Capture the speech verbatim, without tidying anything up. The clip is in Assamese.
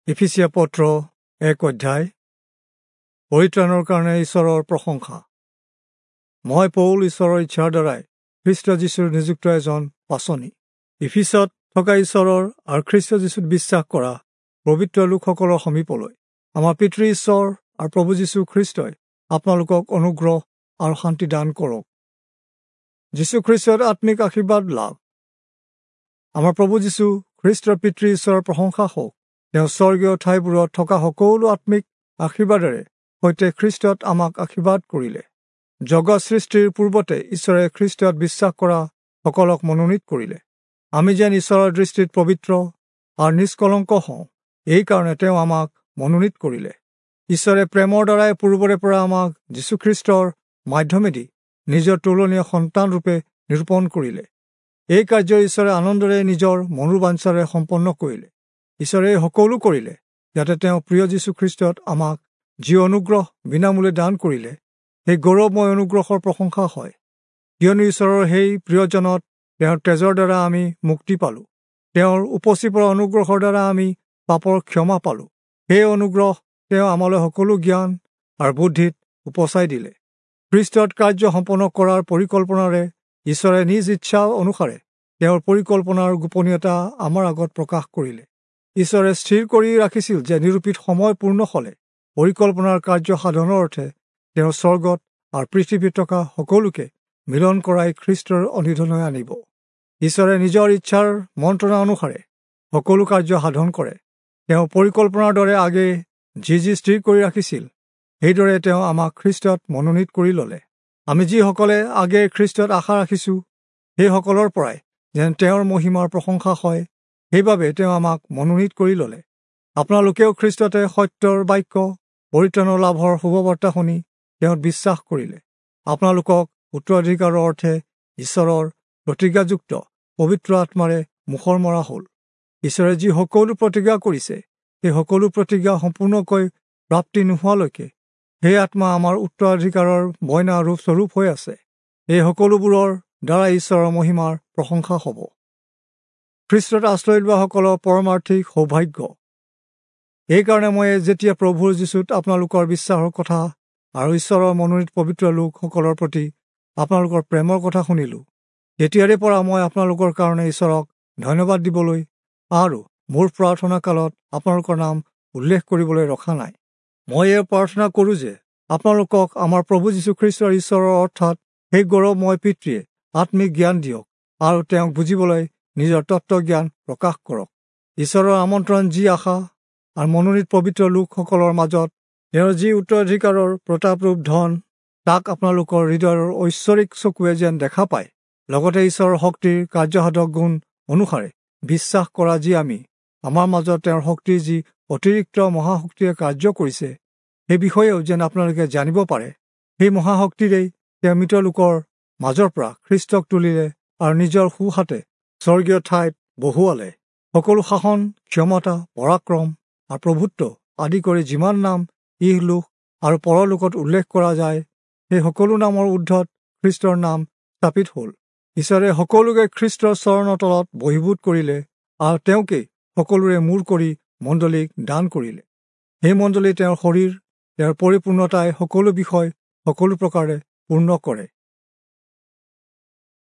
ইফিচীয়া পত্ৰ এক অধ্যায়। পৰিত্ৰাণৰ কাৰণে ঈশ্বৰৰ প্ৰশংসা। মই পৌল ঈশ্বৰৰ ইচ্ছাৰ দ্বাৰাই খ্ৰীষ্ট যীশুৰ নিযুক্ত এজন পাচনি, ইফিচত থকা ঈশ্বৰৰ আৰু খ্ৰীষ্ট যীশুত বিশ্বাস কৰা পবিত্ৰ লোকসকলৰ সমীপলৈ, আমাৰ পিতৃ ঈশ্বৰ আৰু প্ৰভু যীশু খ্ৰীষ্টই আপোনালোকক অনুগ্ৰহ আৰু শান্তি দান কৰক। যীশুখ্ৰীষ্টৰ আত্মিক আশীৰ্বাদ লাভ। আমাৰ প্ৰভু যীশু খ্ৰীষ্টৰ পিতৃ ঈশ্বৰৰ প্ৰশংসা হওক। তেওঁ স্বৰ্গীয় ঠাইবোৰত থকা সকলো আত্মিক আশীৰ্বাদেৰে সৈতে খ্ৰীষ্টত আমাক আশীৰ্বাদ কৰিলে। জগত সৃষ্টিৰ পূৰ্বতে ঈশ্বৰে খ্ৰীষ্টত বিশ্বাস কৰা সকলক মনোনীত কৰিলে, আমি যেন ঈশ্বৰৰ দৃষ্টিত পবিত্ৰ আৰু নিষ্কলংক হওঁ, এইকাৰণে তেওঁ আমাক মনোনীত কৰিলে। ঈশ্বৰে প্ৰেমৰ দ্বাৰাই পূৰ্বৰে পৰা আমাক যীশুখ্ৰীষ্টৰ মাধ্যমেদি নিজৰ তুলনীয় সন্তানৰূপে নিৰূপণ কৰিলে। এই কাৰ্য ঈশ্বৰে আনন্দৰে নিজৰ মনোবাঞ্ছাৰে সম্পন্ন কৰিলে। ঈশ্বৰে এই সকলো কৰিলে যাতে তেওঁ প্ৰিয় যীশুখ্ৰীষ্টত আমাক যি অনুগ্ৰহ বিনামূল্যে দান কৰিলে, সেই গৌৰৱময় অনুগ্ৰহৰ প্ৰশংসা হয়। কিয়নো ঈশ্বৰৰ সেই প্ৰিয়জনত তেওঁৰ তেজৰ দ্বাৰা আমি মুক্তি পালোঁ, তেওঁৰ উপচি পৰা অনুগ্ৰহৰ দ্বাৰা আমি পাপৰ ক্ষমা পালোঁ। সেই অনুগ্ৰহ তেওঁ আমালৈ সকলো জ্ঞান আৰু বুদ্ধিত উপচাই দিলে। খ্ৰীষ্টত কাৰ্য সম্পন্ন কৰাৰ পৰিকল্পনাৰে ঈশ্বৰে নিজ ইচ্ছা অনুসাৰে তেওঁৰ পৰিকল্পনাৰ গোপনীয়তা আমাৰ আগত প্ৰকাশ কৰিলে। ঈশ্বৰে স্থিৰ কৰি ৰাখিছিল যে নিৰূপিত সময় পূৰ্ণ হ'লে পৰিকল্পনাৰ কাৰ্য সাধনৰ অৰ্থে তেওঁ স্বৰ্গত আৰু পৃথিৱীত থকা সকলোকে মিলন কৰাই খ্ৰীষ্টৰ অনিধনলৈ আনিব। ঈশ্বৰে নিজৰ ইচ্ছাৰ মন্ত্ৰণা অনুসাৰে সকলো কাৰ্য সাধন কৰে। তেওঁ পৰিকল্পনাৰ দৰে আগে যি যি স্থিৰ কৰি ৰাখিছিল, সেইদৰে তেওঁ আমাক খ্ৰীষ্টত মনোনীত কৰি ল'লে। আমি যিসকলে আগে খ্ৰীষ্টত আশা ৰাখিছোঁ, সেইসকলৰ পৰাই যেন তেওঁৰ মহিমাৰ প্ৰশংসা হয়, সেইবাবে তেওঁ আমাক মনোনীত কৰি ল'লে। আপোনালোকেও খ্ৰীষ্টতে সত্যৰ বাক্য, পৰিত্ৰাণৰ লাভৰ শুভবাৰ্তা শুনি তেওঁত বিশ্বাস কৰিলে। আপোনালোকক উত্তৰাধিকাৰৰ অৰ্থে ঈশ্বৰৰ প্ৰতিজ্ঞাযুক্ত পবিত্ৰ আত্মাৰে মুখৰ মৰা হ'ল। ঈশ্বৰে যি সকলো প্ৰতিজ্ঞা কৰিছে, সেই সকলো প্ৰতিজ্ঞা সম্পূৰ্ণকৈ প্ৰাপ্তি নোহোৱালৈকে সেই আত্মা আমাৰ উত্তৰাধিকাৰৰ বয়না ৰূপ স্বৰূপ হৈ আছে। এই সকলোবোৰৰ দ্বাৰা ঈশ্বৰৰ মহিমাৰ প্ৰশংসা হ'ব। খ্ৰীষ্টত আশ্ৰয় লোৱাসকলৰ পৰমাৰ্থিক সৌভাগ্য। এইকাৰণে মই যেতিয়া প্ৰভুৰ যীশুত আপোনালোকৰ বিশ্বাসৰ কথা আৰু ঈশ্বৰৰ মনোনীত পবিত্ৰ লোকসকলৰ প্ৰতি আপোনালোকৰ প্ৰেমৰ কথা শুনিলোঁ, তেতিয়াৰে পৰা মই আপোনালোকৰ কাৰণে ঈশ্বৰক ধন্যবাদ দিবলৈ আৰু মোৰ প্ৰাৰ্থনা কালত আপোনালোকৰ নাম উল্লেখ কৰিবলৈ ৰখা নাই। মই এই প্ৰাৰ্থনা কৰোঁ যে আপোনালোকক আমাৰ প্ৰভু যীশুখ্ৰীষ্টৰ ঈশ্বৰৰ অৰ্থাৎ সেই গৌৰৱময় পিতৃয়ে আত্মিক জ্ঞান দিয়ক আৰু তেওঁক বুজিবলৈ নিজৰ তত্ত্বজ্ঞান প্ৰকাশ কৰক। ঈশ্বৰৰ আমন্ত্ৰণ যি আশা আৰু মনোনীত পবিত্ৰ লোকসকলৰ মাজত তেওঁৰ যি উত্তৰাধিকাৰৰ প্ৰতাপৰূপ ধন, তাক আপোনালোকৰ হৃদয়ৰ ঐশ্বৰিক চকুৱে যেন দেখা পায়, লগতে ঈশ্বৰৰ শক্তিৰ কাৰ্যসাধক গুণ অনুসাৰে বিশ্বাস কৰা যি আমি আমাৰ মাজত তেওঁৰ শক্তিৰ যি অতিৰিক্ত মহাশক্তিয়ে কাৰ্য কৰিছে, সেই বিষয়েও যেন আপোনালোকে জানিব পাৰে। সেই মহাশক্তিৰেই তেওঁ মৃত লোকৰ মাজৰ পৰা খ্ৰীষ্টক তুলিলে আৰু নিজৰ সোঁহাতে স্বৰ্গীয় ঠাইত বহুৱালে। সকলো শাসন, ক্ষমতা, পৰাক্ৰম আৰু প্ৰভুত্ব আদি কৰি যিমান নাম ইহলোক আৰু পৰলোকত উল্লেখ কৰা যায়, সেই সকলো নামৰ ঊৰ্ধত খ্ৰীষ্টৰ নাম স্থাপিত হ'ল। ঈশ্বৰে সকলোকে খ্ৰীষ্টৰ চৰণৰ তলত বহিভূত কৰিলে আৰু তেওঁকেই সকলোৰে মূৰ কৰি মণ্ডলীক দান কৰিলে। সেই মণ্ডলী তেওঁৰ শৰীৰ, তেওঁৰ পৰিপূৰ্ণতাই সকলো বিষয় সকলো প্ৰকাৰে পূৰ্ণ কৰে।